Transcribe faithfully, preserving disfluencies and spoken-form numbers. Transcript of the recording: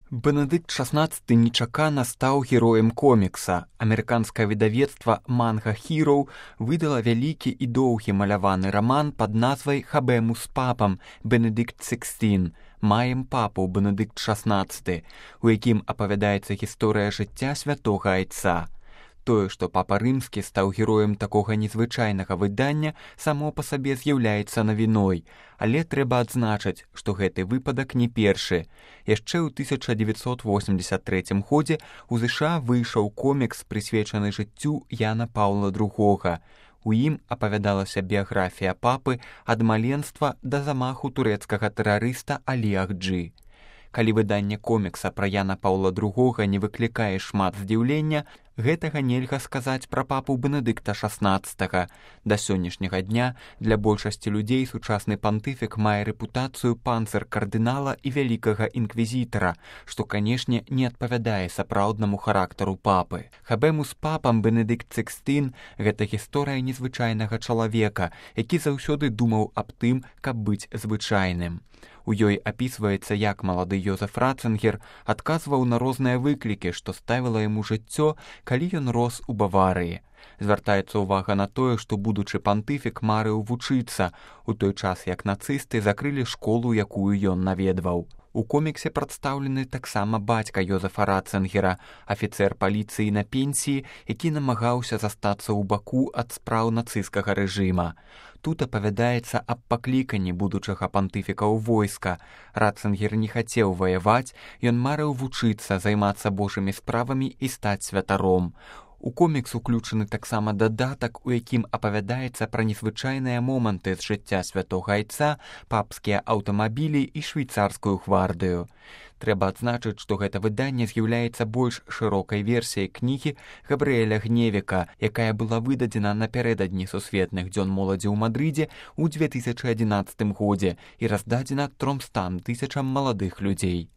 Бенедыкт шаснаццаты нечакана стаў героем комікса. Амерыканскае выдавецтва «Манга Хіроў» выдала вялікі і доўгі маляваны раман пад назвай «Хабэму з папам» Бенедыкт шэсцін, «Маем папу» Бенедыкт шаснаццаты, у якім апавядаецца гісторыя жыцця святога айца. Тое, што папа рымскі стаў героем такога незвычайнага выдання, само па сабе з'яўляецца навіной, але трэба адзначыць, што гэты выпадак не першы. Яшчэ ў тысяча дзевяцьсот восемдзесят трэцім годзе у ЗША выйшаў комікс, прысвечаны жыццю Яна Паўла другога. У ім апавядалася біяграфія папы ад маленства да замаху турэцкага тэрарыста Алі Ахджы. Калі выданне комікса пра Яна Паўла другога не выклікае шмат здзіўлення, гэтага нельга сказаць пра папу Бенедыкта шаснаццатага. Да сённяшняга дня для большасці людзей сучасны пантыфік мае рэпутацыю панцыр-кардынала і вялікага інквізітара, што, канешне, не адпавядае сапраўднаму характару папы. Хабэму з папам Бенедыкт шэсцін – гэта гісторыя незвычайнага чалавека, які заўсёды думаў аб тым, каб быць звычайным. У ёй апісваецца, як малады Йозеф Ратцынгер адказваў на розныя выклікі, што ставіла яму жыццё, калі ён рос у Баварыі. Звяртаецца ўвага на тое, што будучы пантыфік марыў вучыцца, у той час як нацысты закрылі школу, якую ён наведваў. У коміксе прадстаўлены таксама бацька Йозефа Ратцынгера, афіцэр паліцыі на пенсіі, які намагаўся застацца ў баку ад спраў нацысцкага рэжыма. Тут апавядаецца аб пакліканні будучага пантыфіка ў войска. Ратцынгер не хацеў ваяваць, ён марыў вучыцца, займацца божымі справамі і стаць святаром. У комікс уключаны таксама дадатак, у якім апавядаецца пра незвычайныя моманты з жыцця святога айца, папскія аўтамабілі і швейцарскую гвардыю. Трэба адзначыць, што гэта выданне з'яўляецца больш шырокай версіяй кнігі Габрыэля Гневіка, якая была выдадзена напярэдадні сусветных дзён моладзі ў Мадрыдзе ў дзве тысячы адзінаццатым годзе і раздадзена трёмстам тысячам маладых людзей.